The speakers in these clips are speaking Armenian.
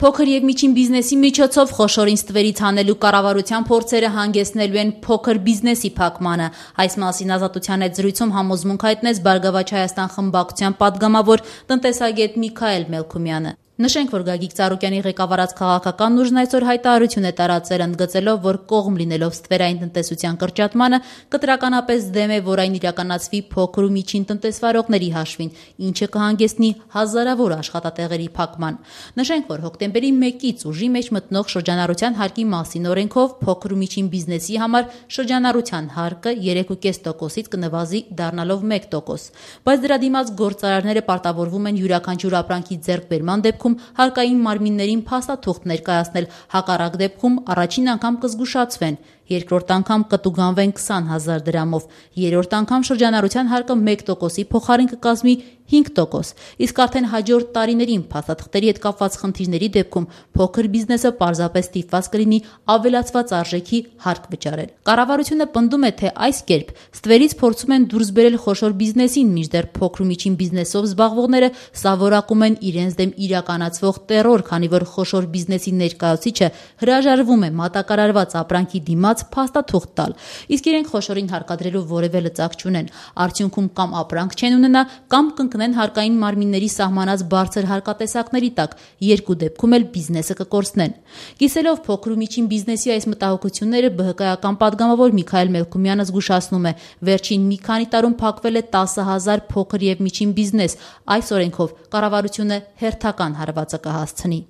Փոքր եւ միջին բիզնեսի միջոցով խոշորին ստվերից հանելու կառավարության փորձերը հանգեցնելու են փոքր բիզնեսի փակմանը։ Այս մասին Ազատության հետ զրույցում համոզմունք հայտնեց Բարգավաճ Հայաստան խմբակցության պատգամավոր տնտեսագետ Միքայել Մելքումյանը։ Նշենք, որ Գագիկ Ծառուկյանի ղեկավարած քաղաքական ուժն այսօր հայտարարություն է տարածել, ընդգծելով, որ կողմ լինելով ստվերային տնտեսության կրճատմանը, կտրականապես դեմ է, որ այն իրականացվի փոքր ու միջին տնտեսվարողների հաշվին, ինչը կհանգեցնի հազարավոր աշխատատեղերի փակման։ Նշենք, որ հոկտեմբերի 1-ից ուժի մեջ մտնող շրջանառության հարկի մասին օրենքով փոքր ու միջին բիզնեսի համար շրջանառության հարկը 3.5%-ից կնվազի դառնալով 1%, բայց դրա դիմաց գործարարները պարտավորվում են յուրաքանչյուր ապրանքի ձեռքբերման դեպքում հարկային մարմիններին փաստաթուղթ ներկայացնել, հակառակ դեպքում առաջին անգամ կզգուշացվեն, երկրորդ անգամ կտուգանվեն 20,000 դրամով, երրորդ անգամ շրջանառության հարկը 1%-ի փոխարեն կկազմի 5%, իսկ արդեն հաջորդ տարիներին փաստաթղթերի հետ կապված խնդիրների դեպքում փոքր բիզնեսը պարզապես ստիպված կլինի ավելացված արժեքի հարկ վճարել։ Կառավարությունը պնդում է, թե այս կերպ ստվերից փորձում են դուրս բերել խոշոր բիզնեսին, մինչդեռ փոքր ու միջին բիզնեսով զբաղվողները սովորակում են իրենց դեմ իրականացվող տեռոր, քանի որ խոշոր բիզնեսի ներկայացուցիչը հրաժարվում է մատակարարված ապրանքի դիմաց փաստաթուղթ տալ, իսկ իրենք խոշորին հարկադրելու որևէ լծակ չունեն։ Արդյունքում կամ ապրանք չեն ունենա, կամ կընկնեն հարկային մարմինների սահմանած բարձր հարկատեսակների տակ, երկու դեպքում էլ բիզնեսը կկորցնեն։ Կիսելով փոքր ու միջին բիզնեսի այս մտահոգությունները, ԲՀԿ-ական պատգամավոր Միքայել Մելքումյանը զգուշացնում է, վերջին մի քանի տարում փակվել է 10,000 փոքր եւ միջին բիզնես։ Այս օրենքով կառավարությունը հերթական հարվածը կհասցնի։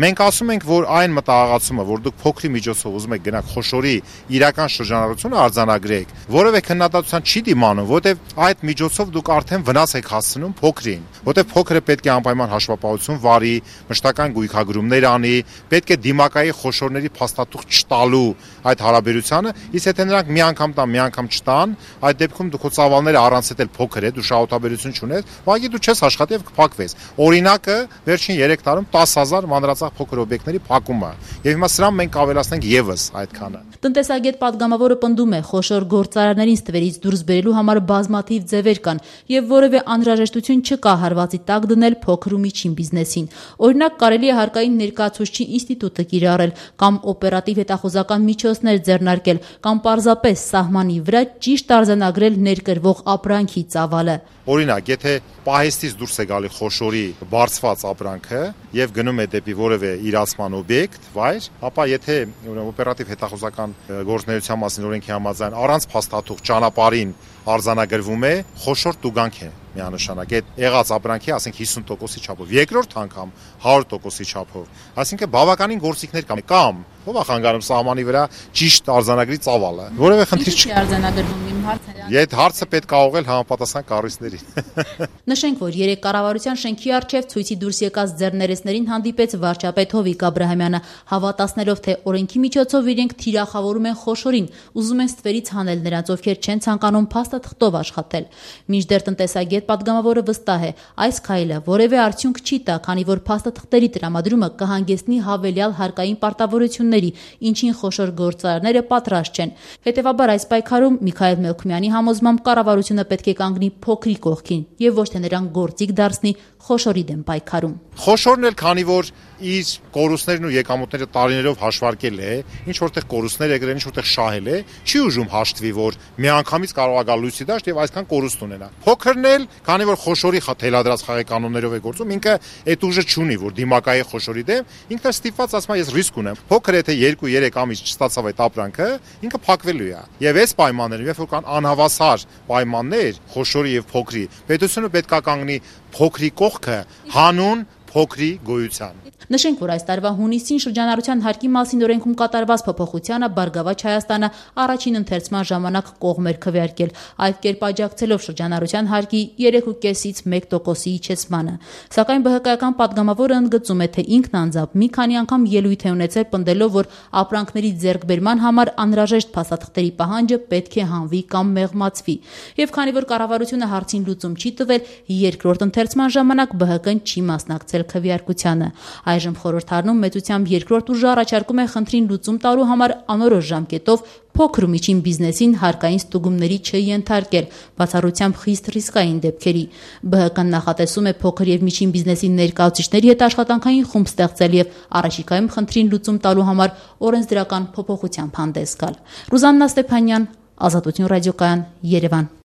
Մենք ասում ենք, որ այն մտահղացումը, որ դուք փոքրի միջոցով ուզում եք գնաք խոշորի իրական շրջանառությունը արձանագրեք, որևէ քննադատության չի դիմանում, որտեղ այդ միջոցով դուք արդեն վնաս եք հասցնում փոքրին, որտեղ փոքրը պետք է անպայման հաշվապահություն վարի, մշտական գույքագրումներ անի, պետք է դիմակայի խոշորների փաստաթուղթ չտալու այդ հարաբերությանը, իսկ եթե նրանք մի անգամ տան, մի անգամ չտան, այդ դեպքում դու քո ծավալները առանց էլ փոքր է, դու շահութաբերություն չունես, ուղղակի դու չես աշխատի եւ կփակվես։ Օրինակը վերջին 3 տարում 10,000 մանրածախ փոքր օբյեկտների փակումը, եւ հիմա սրան մենք ավելացնենք եւս այդքանը։ Տնտեսագետ պատգամավորը պնդում է, խոշոր գործարարներին ստվերից դուրս բերելու համար բազմաթիվ ձևեր կան եւ որևէ անհրաժեշտություն չկա հարվածի տակ դնել փոքր ու միջին բիզնեսին։ Օրինակ, կարելի է հարկային ներկայացուցչի ինստիտուտը կիրառել կամ օպերատիվ հետախուզական միջոցներ ձեռնարկել կամ պարզապես սահմանի վրա ճիշտ արձանագրել ներկրվող ապրանքի ծավալը։ Օրինակ, եթե պահեստից դուրս է գալի խոշորի բարձված ապրանքը եւ գնում է դեպի որևէ իրացման օբյեկտ, վայր, ապա եթե օպերատիվ հետախուզական գործունեության մասին օրենքի համաձայն առանց փաստաթուղթ ճանապարհին արձանագրվում է, խոշոր տուգանք է միանշանակ այդ եղած ապրանքի, ասենք 50%-ի չափով, երկրորդ անգամ 100%-ի չափով, այսինքն բավականին գործիքներ կամ ով է խանգարում սահմանի վրա ճիշտ արձանագրի ծավալը, որևէ խնդիր չի արձանագրվում, իմ հարցը։ Այդ հարցը պետք է ուղղել համապատասխան կառույցներին։ Նշենք, որ երեք կառավարության շենքի առջև ցույցի դուրս եկած ձեռներեցներին հանդիպեց վարչապետ Հովիկ Աբրահամյանը, հավատացնելով, թե օրենքի միջոցով իրենք թիրախավորում են խոշորին, ուզում են ստվերից հանել նրանց, ովքեր չեն ցանկանում փաստաթղթով աշխատել։ Մինչդեռ տնտեսագետ պատգամավորը վստահ է, այս քայլը որևէ արդյունք չի տա, քանի որ փաստաթղթերի տրամադրումը կհանգեցնի հավելյալ հարկային պարտավորությունների, ինչին խոշոր գործարարները պատրաստ չեն։ Հետևաբար այս պայքարում Միքայել Մելքումյանի համոզմամբ կառավարությունը պետք է կանգնի փոքրի կողքին եւ ոչ թե նրան գործիք դարձնի խոշորի դեմ պայքարում։ Խոշորն էլ, քանի որ իր կորուստներն ու եկամուտները տարիներով հաշվարկել է, ինչ որտեղ կորուստներ է գրել, ինչ որտեղ շահել է, չի ուժում հաշտվի, որ միանգամից կարող է գալ լույսի դաշտ եւ այսքան կորուստ ունենա։ Փոքրն էլ, քանի որ խոշորի թելադրած խաղի կանոններով է գործում, ինքը այդ ուժը չունի, որ դիմակայի խոշորի դեմ, ինքը ստիպված ասում է, ես ռիսկ ունեմ։ Փոքր եթե 2-3 ամիս չստացավ այդ ապրանքը, ինքը փակվելու է։ Եվ այս պայմաններում, երբ որ կան անհավասար պայմաններ խոշորի եւ փոքրի, պետությունը պետք է կանգնի փոքրի կողքը հանուն փոքրի գոյության։ Նշենք, որ այս տարվա հունիսին շրջանառության հարկի մասին օրենքում կատարված փոփոխությանը Բարգավաճ Հայաստանը առաջին ընթերցման ժամանակ կողմ էր քվեարկել, այդ կերպ աջակցելով շրջանառության հարկի 3.5-ից 1%-ի իջեցմանը։ Սակայն ԲՀԿ-ական պատգամավորը ընդգծում է, թե ինքն անձամբ մի քանի անգամ ելույթ է ունեցել պնդելով, որ ապրանքների ձեռքբերման համար անհրաժեշտ փաստաթղթերի պահանջը պետք է հանվի կամ մեղմացվի։ Եվ քանի որ կառավարությունը հարցին լուծում չի տվել, երկրորդ ընթերցման ժամանակ ԲՀԿ-ն չի մասնակցել քվեարկությանը։ Այժմ խորհրդարանում մեծությամբ երկրորդ ուժը առաջարկում է խնդրին լուծում տալու համար անորոշ ժամկետով փոքր ու միջին բիզնեսին հարկային ստուգումների չենթարկել, բացառությամբ խիստ ռիսկային դեպքերի։ ԲՀԿ-ն նախատեսում է փոքր եւ միջին բիզնեսի ներկայացուցիչների հետ աշխատանքային խումբ ստեղծել եւ առաջիկայում խնդրին լուծում տալու համար օրենսդրական փոփոխությամբ հանդես գալ։ Ռուզաննա Ստեփանյան, Ազատություն ռադիոկայան, Երևան։